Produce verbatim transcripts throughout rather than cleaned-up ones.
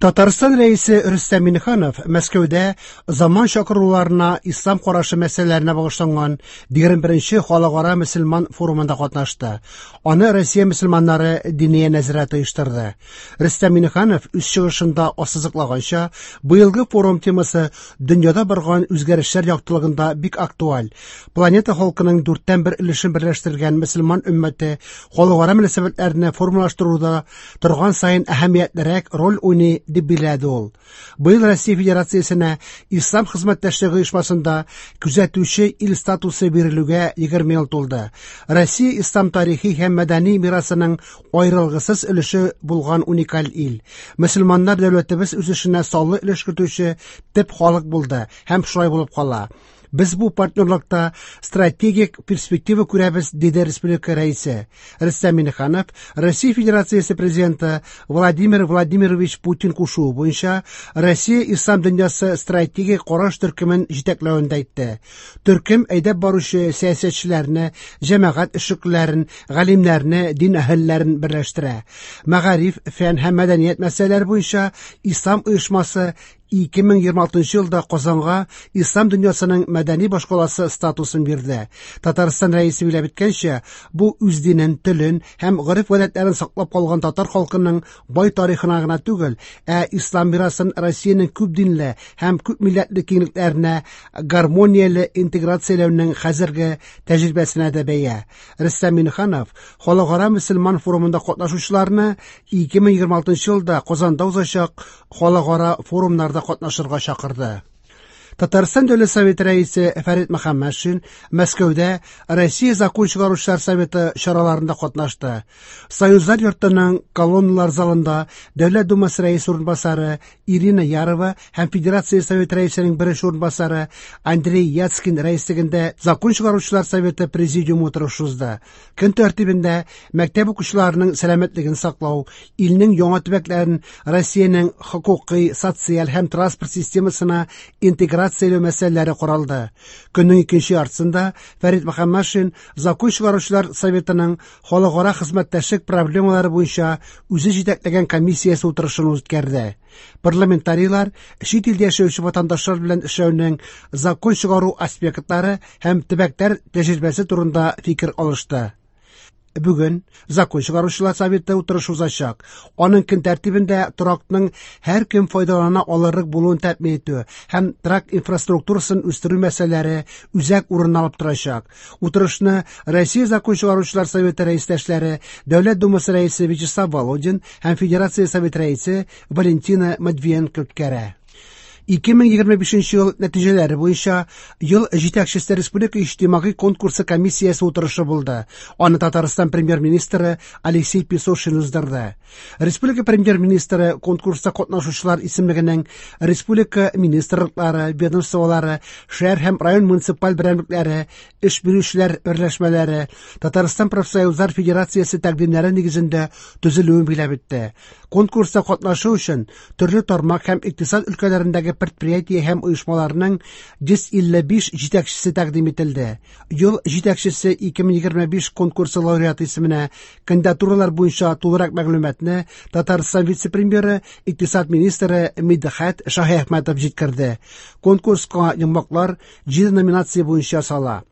Татарстан Рәисе Рөстәм Миңнеханов Мәскәүдә заман чакыруларына ислам карашы мәсьәләләренә багышланган егерме беренче халыкара мөселман форумында катнашты. Аны Россия мөселманнары Диния нәзарәте оештырды. Рөстәм Миңнеханов үз чыгышында ассызыклаганча, быелгы форум темасы дөньяда барган үзгәрешләр яктылыгында бик актуаль. Планета халкының дүрттән бер өлешен берләштергән мөселман өммәте халыкара мөнәсәбәтләрне формалаштыруда торган саен әһәмиятлерәк роль уйный, дип билгеләде ул. Быел Россия Федерациясенә Ислам хезмәттәшлеге оешмасында күзәтүче ил статусы бирелүгә егерме ел тулды. Россия ислам тарихи һәм мәдәни мирасының аерылгысыз өлеше булган уникаль ил. Мөселманнар дәүләтебез үсешенә саллы өлеш кертүче төп халык булды һәм шулай булып кала. Без бу партнерлыкта стратегик перспектива күрәбез, диде республика рәисе. Рөстәм Миңнеханов Россия Федерациясе президенты Владимир Владимирович Путин кушуы буенча Россия ислам дөньясы стратегик караш төркемен җитәкләвен дә әйтте. Төркем әйдәп баручы сәясәтчеләрне, җәмәгать эшлеклеләрен, галимнәрне, дин әһелләрен берләштерә. Мәгариф, фән һәм мәдәният мәсьәләләре буенча ислам оешмасы ике мең егерме алтынчы елда Казанга ислам дөньясының мәдәни башкаласы статусын бирде. Татарстан рәисе билгеләп үткәнчә, бу үз динен, телен һәм гореф-гадәтләрен саклап калган татар халкының бай тарихына гына түгел, ә ислам мирасын Россиянең күп динле һәм күп милләтле киңлекләренә гармонияле интеграцияләүнең хәзерге тәҗрибәсенә дә бәя. Рөстәм Миңнеханов Халыкара мөселман форумында катнашучыларны ике мең егерме алтынчы елда Казанда узачак халыкара форумнарда катнашырга чакырды. Татарстан Дәүләт Советы рәисе Фәрит Мөхәммәтшин Мәскәүдә Россия Закон чыгаручылар советы чараларында катнашты. Союзлар йортының колонналар залында Дәүләт Думасы рәисе урынбасары Ирина Ярова һәм Федерация Советы рәисенең беренче урынбасары Андрей Яцкин рәислегендә Закон чыгаручылар советы президиумы утырышы узды. Көн тәртибендә мәктәп укучыларының сәламәтлеген саклау, илнең яңа төбәкләрен Россиянең хокукый, социаль һәм транспорт системасына интеграцияләү мәсьәләләре каралды. Көннең икенче яртысында Фәрит Мөхәммәтшин Закон чыгаручылар советының халыкара хезмәттәшлек проблемалары буенча үзе җитәкләгән комиссиясе утырышын үткәрде. Парламентарийлар чит илдә яшәүче ватандашлар белән эшләүнең закон чыгару аспектлары һәм төбәкләр тәҗрибәсе турында фикер алышты. Бүген Закон чыгаручылар советы утырышы узачак. Аның көн тәртибендә торакның һәр кем файдалана алырлык булуын тәэмин итү һәм торак инфраструктурасын үстерү мәсьәләләре үзәк урын алып торачак. Утырышны Россия Закон чыгаручылар советы рәистәшләре, Дәүләт Думасы рәисе Вячеслав Володин һәм Федерация Советы рәисе Валентина Матвиенко үткәрә. Ике мең егерме бишенче ел нәтиҗәләре буенча ел җитәкчесе Республика иҗтимагый конкурсы комиссиясе утырышы булды. Аны Татарстан премьер-министры Алексей Песошин уздырды. Республика премьер-министры конкурста катнашучылар исемлегенең республика министрлыклары, ведомстволары, шәһәр һәм район муниципаль берәмлекләре, эш бирүчеләр берләшмәләре, Татарстан профсоюзлар федерациясе тәкъдимнәре нигезендә төзелүен билгеләп үтте. Конкурста катнашу өчен төрле тармак һәм икътисад өлкәләрендәге предприятие һәм оешмаларның йөз илле биш җитәкчесе тәкъдим ителде. Ел җитәкчесе ике мең егерме биш конкурсы лауреаты исеменә кандидатуралар буенча тулырак мәгълүматны Татарстан вице-премьеры, икътисад министры Мидхәт Шаһиәхмәтов җиткерде. Конкурска йомгаклар җиде номинация буенча сала.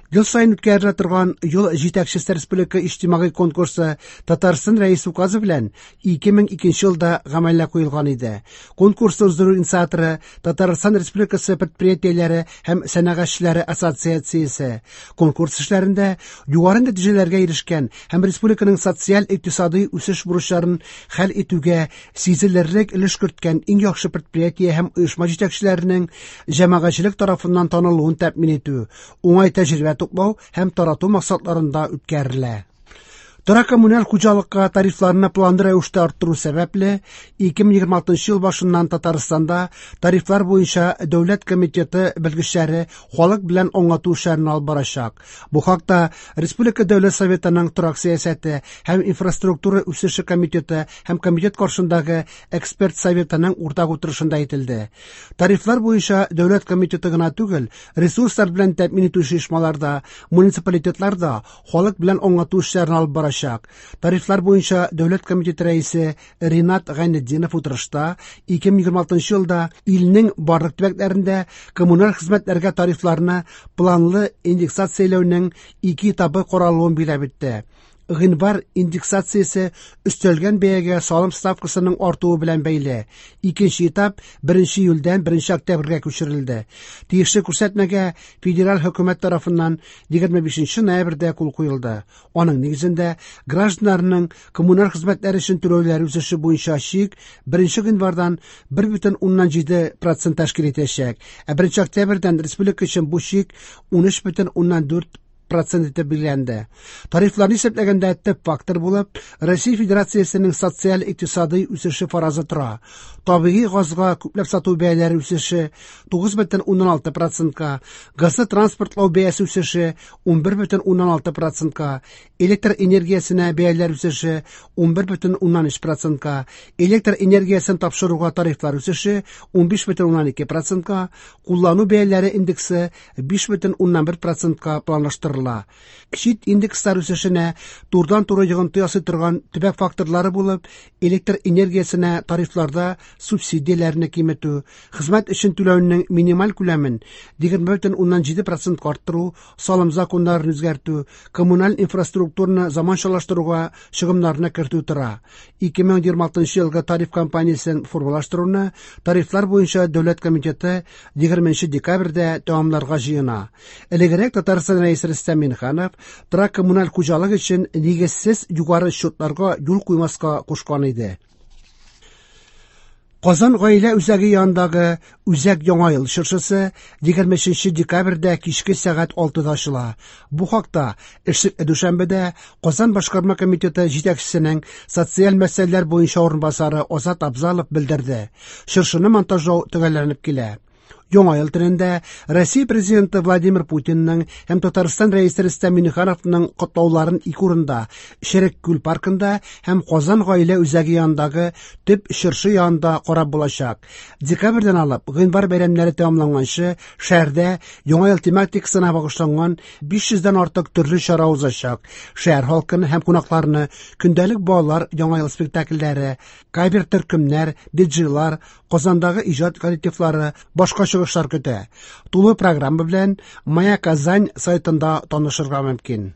Ел сайын үткәрелә торган Ел җитәкчесе Республика иҗтимагый конкурсы Татарстан Рәисе указы белән ике мең икенче елда гамәлгә куелган иде. Конкурсны уздыру инициаторы Татарстан Республикасы предприятиеләре һәм сәнәгатьчеләре ассоциациясе. Конкурс эшләрендә югары нәтиҗәләргә ирешкән һәм республиканың социаль-икътисади үсеш бурычларын хәл итүгә сизелерлек өлеш керткән иң яхшы предприятие һәм оешма җитәкчеләренең җәмәгатьчелек тарафыннан танылуын тәэмин итү, уңай тәҗрибә туплау һәм тарату максатларында үткәрелә. Торак коммуналь хуҗалыкка тарифларны планлы рәвештә арттыру сәбәпле, ике мең егерме алтынчы ел башыннан Татарстанда тарифлар буенча дәүләт комитеты белгечләре халык белән аңлату эшләрен алып барачак. Бу хакта Республика Дәүләт Советының торак сәясәте һәм инфраструктура үсеше комитеты һәм комитет каршындагы эксперт советының уртак утырышында әйтелде. Тарифлар буенча дәүләт комитеты гына түгел, ресурслар белән тәэмин итүче оешмаларда, муниципалитетларда халык белән аңлату эшләрен алып барачак. булачак. Тарифлар буенча Дәүләт комитеты рәисе Ринат Гайнетдинов утырышта ике мең егерме алтынчы елда илнең барлык төбәкләрендә коммуналь хезмәтләргә тарифларны планлы индексацияләүнең ике этабы каралуын билгеләп үтте. Гыйнвар индексациясе өстәлгән бәягә салым ставкасының артуы белән бәйле. Икенче этап беренче июльдән беренче октябрьгә күчерелде. Тиешле күрсәтмәгә федераль хөкүмәт тарафыннан егерме бишенче ноябрьдә кул куелды. Аның нигезендә гражданнарның коммуналь хезмәтләр өчен түләүләре үсеше буенча чик беренче гыйнвардан бер бөтен уннан җиде процент тәшкил итәчәк. Ә беренче октябрьдән республика өчен бу чик ун өч бөтен уннан дүрт процент итеп билгеләнде. Тарифларны исәпләгәндә төп фактор булып Россия Федерациясенең социаль-икътисади үсеше фаразы тора. Табигый газга күпләп сату бәяләре үсеше тугыз бөтен уннан алты процентка, газны транспортлау бәясе үсеше ун бер бөтен уннан алты процентка, электр энергиясенә бәяләр үсеше ун бер бөтен уннан өч процентка, электр энергиясен тапшыруга тарифлар үсеше ун биш бөтен уннан ике процентка, куллану бәяләре индексы биш бөтен уннан бер процентка планлаштырыла. Чит индекслар үсешенә турыдан-туры йогынты ясый торган төбәк факторлары булып электр энергиясенә тарифларда субсидияләрне киметү, хезмәт өчен түләүнең минималь күләмен егерме бөтен уннан җиде процентка арттыру, салым законнарын үзгәртү, коммуналь инфраструктураны заманчалаштыруга чыгымнарны кертү тора. Ике мең егерме алтынчы елгы тариф кампаниясен формалаштыруны тарифлар буенча Дәүләт комитеты егерменче декабрьдә тәмамларга җыена. Элегрәк Татарстан Рәисе Рөстәм Миңнеханов торак коммуналь хуҗалык өчен нигезсез югары счетларга юл куймаска кушкан иде. Казан гаилә үзәге янындагы Үзәк Яңа ел чыршысы егерме өченче декабрьдә кичке сәгать алтыда ачыла. Бу хакта эшлекле дүшәмбедә Казан башкарма комитеты җитәкчесенең социаль мәсьәләләр буенча урынбасары Азат Абзалов белдерде. Чыршыны монтажлау төгәлләнеп килә. Яңа ел төнендә Россия президенты Владимир Путинның һәм Татарстан рәисе Рөстәм Миңнехановның котлауларын ике урында, Черек күл паркында һәм Казан гаилә үзәге янындагы төп чыршы янында карап булачак. Декабрьдән алып гыйнвар бәйрәмнәре тәмамланганчы шәһәрдә Яңа ел тематикасына багышланган биш йөздән артык төрле чара узачак. Шәһәр халкын һәм кунакларны көндәлек балалар Яңа ел спектакльләре, кавер төркемнәр, диджейлар, Казандагы иҗат коллективлары, башка чыгышлар көтә. Тулы программа белән Моя Казань сайтында танышырга мөмкин.